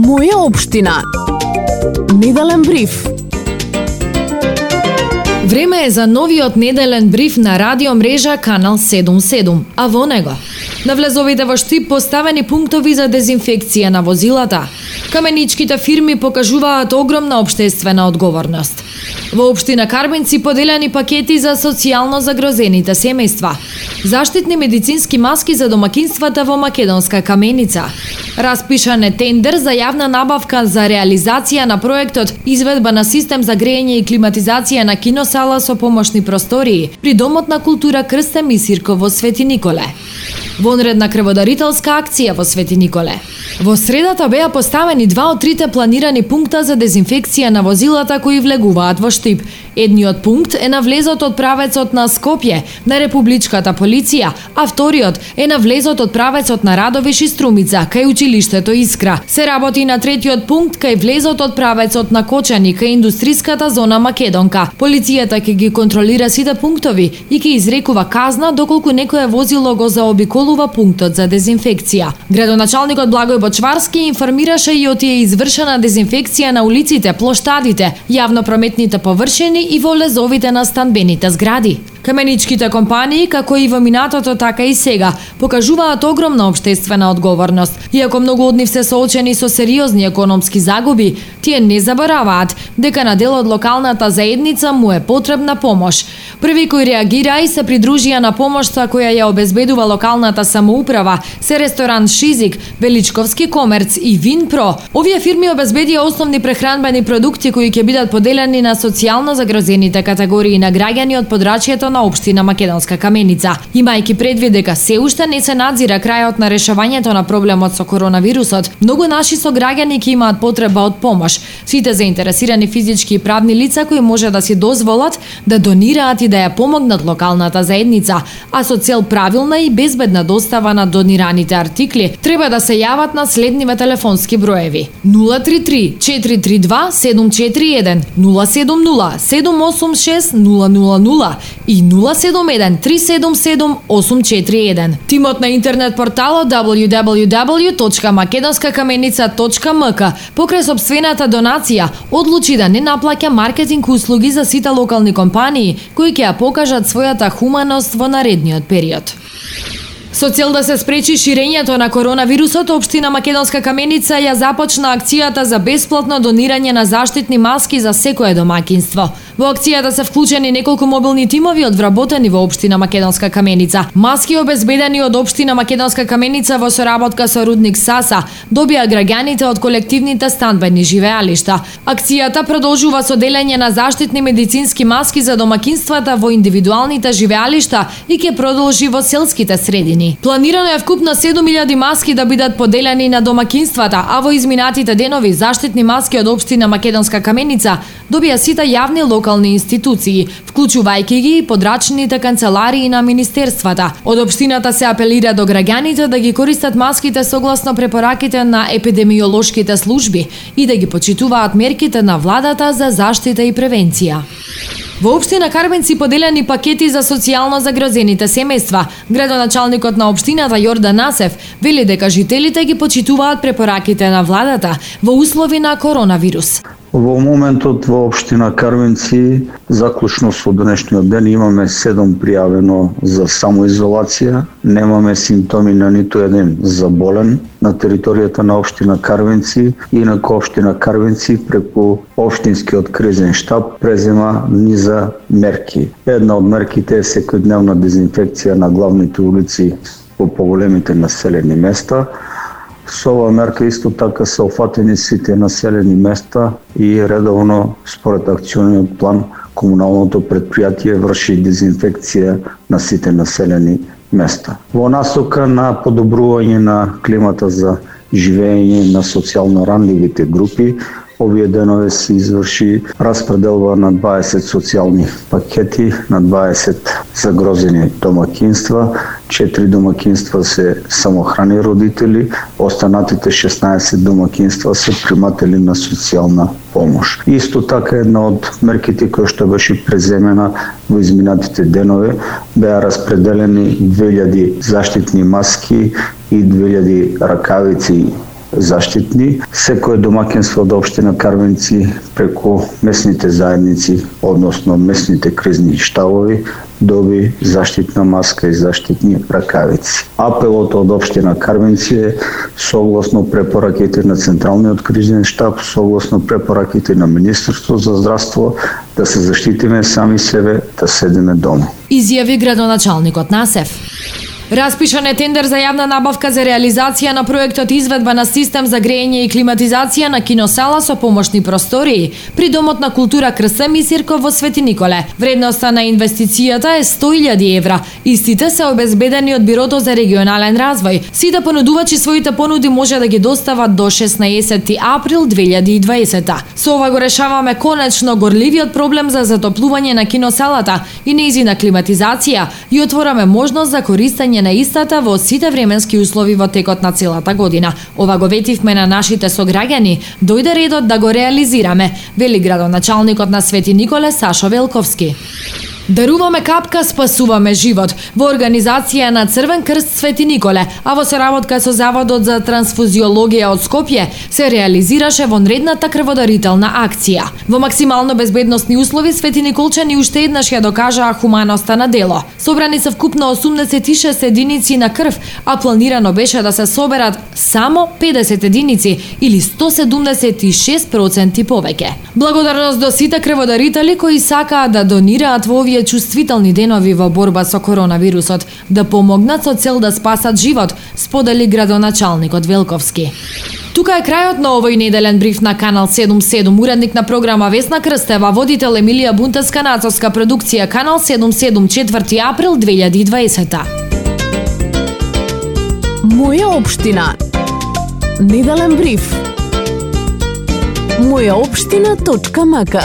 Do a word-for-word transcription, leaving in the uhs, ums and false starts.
Моја општина. Неделен бриф. Време е за новиот неделен бриф на радио мрежа Канал седумдесет и седум, а во него навлезовите во Штип поставени пунктови за дезинфекција на возилата. Каменичките фирми покажуваат огромна општествена одговорност. Во општина Карбинци поделени пакети за социјално загрозените семејства. Заштитни медицински маски за домакинствата во Македонска Каменица. Распишан е тендер за јавна набавка за реализација на проектот изведба на систем за грејење и климатизација на киносала со помошни простории при Домот на култура Крсте Мисирко во Свети Николе. Вонредна крводарителска акција во Свети Николе. Во средата беа поставени два од трите планирани пункта за дезинфекција на возилата кои влегуваат во Штип. Едниот пункт е на влезот од правецот на Скопје, на Републичката полиција, а вториот е на влезот од правецот на Радовиш и Струмица, кај училиштето Искра. Се работи на третиот пункт кај влезот од правецот на Кочани, кај индустријската зона Македонка. Полицијата ќе ги контролира сите пунктови и ќе изрекува казна доколку некое возило го заобиколува пунктот за дезинфекција. Градоначалникот Благој Бочварски информираше и отие извршена дезинфекција на улиците, плоштадите, јавно-прометните површини и во влезовите на станбените згради. Каменичките компании, како и во минатото, така и сега, покажуваат огромна општествена одговорност. Иако многу од нив се соочени со сериозни економски загуби, тие не забораваат дека на дел од локалната заедница му е потребна помош. Први кои реагираа и се придружија на помошта која ја обезбедува локалната самоуправа се ресторан Шизик, Величковски комерц и Винпро. Овие фирми обезбедија основни прехранбени продукти кои ќе бидат поделени на социјално загрозените категории на граѓани од подрачјето на општина Македонска Каменица. Имајќи предвид дека се уште не се надзира крајот на решавањето на проблемот со коронавирусот, многу наши сограѓани ќе имаат потреба од помош. Сите заинтересирани физички и правни лица кои може да си дозволат да донираат и да ја помогнат локалната заедница, а со цел правилна и безбедна достава на донираните артикли, треба да се јават на следниве телефонски броеви: нула три три четири три два седум четири еден, нула седум нула седум осум шест нула нула нула и нула седум еден три седум седум осум четири еден. Тимот на интернет порталот дабљу дабљу дабљу точка македонска каменица точка ем ка покрај сопствената донација одлучи да не наплаќа маркетинг услуги за сите локални компании кои ќе ја покажат својата хуманост во наредниот период. Со цел да се спречи ширењето на коронавирусот, општина Македонска Каменица ја започна акцијата за бесплатно донирање на заштитни маски за секое домаќинство. Во акцијата се вклучени неколку мобилни тимови од вработени во општина Македонска Каменица. Маски обезбедени од општина Македонска Каменица во соработка со Рудник Саса добија граѓаните од колективните станбени живеалишта. Акцијата продолжува со делење на заштитни медицински маски за домаќинствата во индивидуалните живеалишта и ќе продолжи во селските средини. Планирано е вкупно седум илјади маски да бидат поделени на домаќинствата, а во изминатите денови заштитни маски од општина Македонска Каменица добија сите јавни локални институции, вклучувајќи ги и подрачните канцеларии на министерствата. Од општината се апелира до граѓаните да ги користат маските согласно препораките на епидемиолошките служби и да ги почитуваат мерките на владата за заштита и превенција. Во општина Карбинци поделени пакети за социјално загрозените семејства. Градоначалникот на општината Јордан Насев вели дека жителите ги почитуваат препораките на владата во услови на коронавирус. Во моментот во општина Карбинци, заклучно со денешниот ден, имаме седум пријавено за самоизолација, немаме симптоми на ниту еден заболен на територијата на општина Карбинци. Инаку општина Карбинци преку општинскиот кризен штаб презема низа мерки. Една од мерките е секојдневна дезинфекција на главните улици во поголемите населени места. Со оваа мерка исто така се офатени сите населени места и редовно според акциониот план комуналното предпријатие врши дезинфекција на сите населени места. Во насока на подобрување на климата за живење на социјално ранливите групи, овие денове се изврши распределба на дваесет социјални пакети на дваесет загрозени домаќинства. Четири домаќинства се самохрани родители, останатите шеснаесет домаќинства се приматели на социјална помош. Исто така една од мерките која што беше преземена во изминатите денове беа распределени две илјади заштитни маски и две илјади ракавици заштитни. Секое домаќинство од општина Карвенци преку месните заедници, односно месните кризни штабови, доби заштитна маска и заштитни ракавици. Апелот од општина Карвенци е согласно препораките на Централниот кризен штаб, согласно препораките на Министерство за здравство, да се заштитиме сами себе, да седиме дома. Изјави градоначалникот на СЕФ. Распишан е тендер за јавна набавка за реализација на проектот изведба на систем за грејење и климатизација на киносала со помошни простории при Домот на култура Крсем и Сирков во Свети Николе. Вредноста на инвестицијата е сто илјади евра. Истите се обезбедени од Бирото за регионален развој. Сите понудувачи своите понуди може да ги достават до шеснаесети април две илјади и дваесета. Со ова го решаваме конечно горливиот проблем за затоплување на киносалата и нејзина климатизација и отвораме можност за користење на истата во сите временски услови во текот на целата година. Ова го ветивме на нашите сограѓани, дојде редот да го реализираме, вели градоначалникот на Свети Николе Сашо Велковски. Даруваме капка, спасуваме живот во организација на Црвен крст Свети Николе, а во соработка со Заводот за трансфузиологија од Скопје се реализираше вонредната крводарителна акција. Во максимално безбедносни услови Свети Николчани уште еднаш ја докажаа хуманоста на дело. Собрани се вкупно осумдесет и шест единици на крв, а планирано беше да се соберат само педесет единици или сто седумдесет и шест проценти повеќе. Благодарност до сите крводарители кои сакаат да донираат во овие чувствителни денови во борба со коронавирусот, да помогнат со цел да спасат живот, сподели градоначалникот Велковски. Тука е крајот на овој неделен бриф на Канал седум седум. Уредник на програма Весна Крстева, водител Емилија Бунтеска, нацовска продукција Канал седум седум, четврти април две илјади и дваесета. Моја општина. Неделен бриф. моја општина точка мака